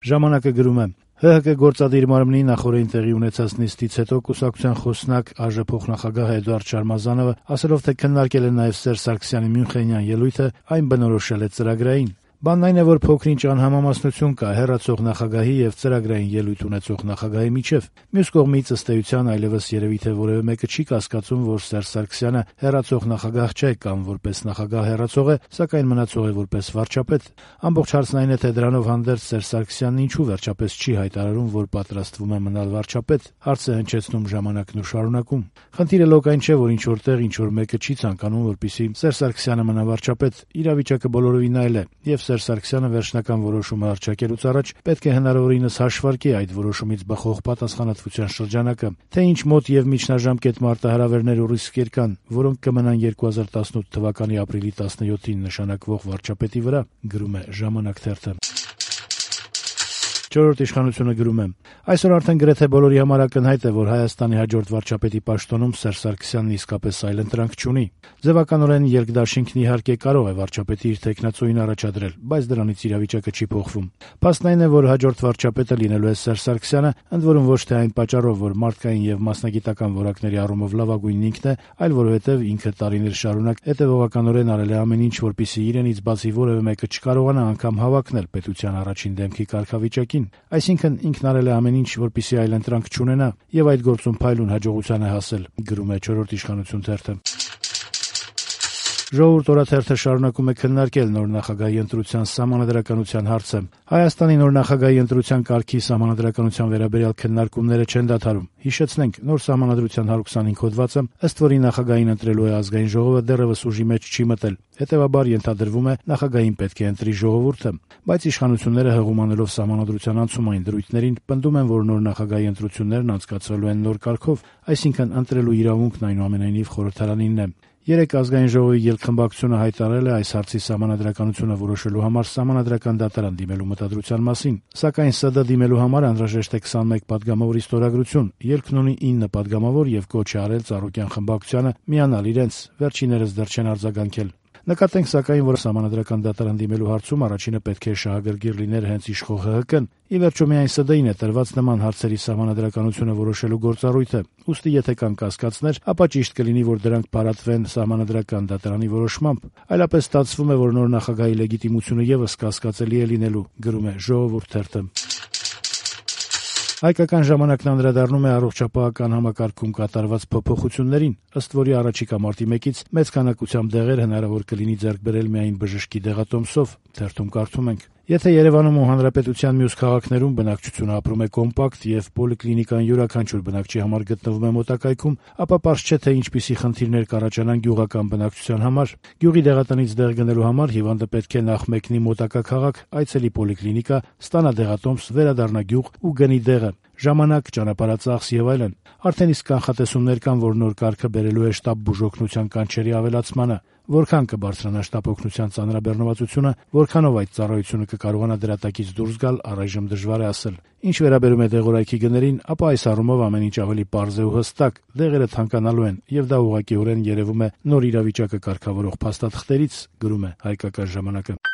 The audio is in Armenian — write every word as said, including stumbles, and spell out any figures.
Ժամանակը գրում է. «Հ Հ Կը գործադիր մարմնի նախօրեին տեղի ունեցած նիստից հետո կուսակցության խոսնակ ԱԺ փոխնախագահ Էդուարդ Շարմազանովը ասելով, թե քննարկել է նաև Սերժ Սարգսյանի Մյունխենյան ելույթը, այն բնորոշել է ծրագրային։ Բանն այն է, որ փոքր-ինչ անհամամասնություն կա հեռացող նախագահի եւ ծրագրային ելույթ ունեցող նախագահի միջեւ։ Մյուս կողմից, ըստ էության, այլեւս երևի թե որեւէ մեկը չի կասկածում, որ Սերժ Սարգսյանը հեռացող նախագահ չէ կամ որպես նախագահ հեռացող է, սակայն մնացող է որպես վարչապետ։ Ամբողջ հարցն այն է, թե դրանով հանդերձ Սերժ Սարգսյանն ինչու վերջապես չի հայտարարում, որ պատրաստվում է մնալ վարչապետ։ Հարց է հնչեցնում ժամանակն ու շարունակում։ Խնդիրը լոկ այն չէ, որ ինչ որտեղ ինչ որ մեկը չի ցանկանում, որպեսզի Սերժ Սարգսյանը մնա վարչապետ։ Իրավիճակը բոլորովին այլ է, եւ Սերժ Սարգսյանը վերջնական որոշումը հռչակելուց առաջ պետք է հնարավորինս հաշվարկի այդ որոշումից բխող պատասխանատվության շրջանակը, թե ինչ մոտ եւ միջնաժամկետ մարտահրավերներ ու ռիսկեր կան, որոնք կմնան երկու հազար տասնութ թվականի ապրիլի տասնյոթին նշանակվող վարչապետի վրա, գրում է Ժամանակ թերթը։ Չորրորդ իշխանությունը գրում է. այսօր արդեն գրեթե բոլորի համար ակնհայտ է, որ Հայաստանի հաջորդ վարչապետի պաշտոնում Սերժ Սարգսյանն իսկապես այլընտրանք չունի։ Ձևականորեն երկդաշինքն իհարկե կարող է վարչապետի իր թեկնածուին առաջադրել, բայց դրանից իրավիճակը չի փոխվում։ Փաստն այն է, որ հաջորդ վարչապետը լինելու է Սերժ Սարգսյանը, ընդ որում ոչ թե այն պատճառով, որ մարդկային եւ մասնագիտական որակների առումով լավագույնն ինքն է, այլ որովհետեւ ինքը տարիներ շարունակ հետեւողականորեն արել է ամեն ինչ, որպեսզի իրենից բացի որևէ մեկը չկարողանա անգամ հավակնել պետության առաջին դեմքի կարգավիճակին։ Այսինքն ինքն արել է ամեն ինչ, որպեսզի այլընտրանք չունենա, եւ այդ գործում փայլուն հաջողության է հասել, գրում է Չորրորդ իշխանություն թերթը։ Ժողովուրդ օրաթերթը շարունակում է քննարկել նոր նախագահի ընտրության սահմանադրականության հարցը։ Հայաստանի նոր նախագահի ընտրության կարգի սահմանադրականության վերաբերյալ քննարկումները չեն դադարում։ Հիշեցնենք, նոր սահմանադրության հարյուրհիսունհինգ հոդվածը, ըստ որի նախագահին ընտրելու է ազգային ժողովը, դեռևս ուժի մեջ չի մտել։ Հետևաբար ենթադրվում է, նախագահին պետք է ընտրի ժողովուրդը, բայց իշխանությունները հղումանելով սահմանադրության անցումային դրույթներին պնդում են, որ նոր նախագահի ընտրություններն անցկացվելու են նոր կարգով, այսինքն ընտրելու իրավունքն այնուամենայնիվ խորհրդարանինն է։ Երեկ ազգային ժողովի ելքխմբակցությունը հայտարարել է այս հարցի սահմանադրականությունը որոշելու համար սահմանադրական դատարան դիմելու մտադրության մասին, սակայն ՍԴ դիմելու համար անհրաժեշտ է քսանմեկ պատգամավորի ստորագրություն։ Ելքն ունի ինը պատգամավոր եւ կոչ է արել Ծառուկյան խմբակցությանը միանալ իրենց, վերջիններս դեռ չեն արձագանքել։ Նկատենք սակայն, որ սահմանադրական դատարան դիմելու հարցում առաջինը պետք է շահագրգիռ լիներ հենց իշխող Հ Հ Կն։ Ի վերջո միայն ՍԴ-ին է տրված նման հարցերի սահմանադրականությունը որոշելու գործառույթը։ Ուստի եթե կան կասկածներ, ապա ճիշտ կլինի, որ դրանք փարատվեն սահմանադրական դատարանի որոշմամբ։ Այլապես ստացվում է, որ նոր նախագահի լեգիտիմությունը եւս կասկածելի է լինելու, գրում է Ժողովուրդ թերթը։ Հայկական ժամանակն անդրադառնում է առողջապահական համակարգում կատարված փոփոխություններին, ըստ որի առաջիկա մարտի մեկից մեծ քանակությամբ դեղեր հնարավոր կլինի ձեռք բերել միայն բժշկի դեղատոմսով, թերթում կարդում ենք. Եթե Երևանում ու հանրապետության մյուս քաղաքներում բնակչությունը ապրում է կոմպակտ եւ պոլիկլինիկան յուրաքանչյուր բնակչի համար գտնվում է մոտակայքում, ապա պարզ չէ, թե ինչպիսի խնդիրներ կառաջանան գյուղական բնակչության համար։ Գյուղի դեղատնից դեղ գնելու համար հիվանդը պետք է նախ մեկնի մոտակա քաղաք, այցելի պոլիկլինիկա, ստանա դեղատոմս, վերադառնա գյուղ ու գնի դեղը։ Ժամանակ, ճանապարհածախս եւ այլն։ Արդեն իսկ կանխատեսումներ կան, որ նոր կարգը բերելու է շտապ բուժօգնության կանչերի ավելացմանը։ Որքան կբարձրանա շտապ օգնության ծանրաբեռնվածությունը, որքանով այդ ծառայությունը կկարողանա դրատակից դուրս գալ, առայժմ դժվար է ասել։ Ինչ վերաբերում է դեղորայքի գներին, ապա այս առումով ամեն ինչ ավելի պարզ է ու հստակ։ Դեղերը թանկանալու են, եւ դա ուղղակիորեն երևում է նոր իրավիճակը կարգավորող փաստաթղթերից, գրում է Հայկական ժամանակը։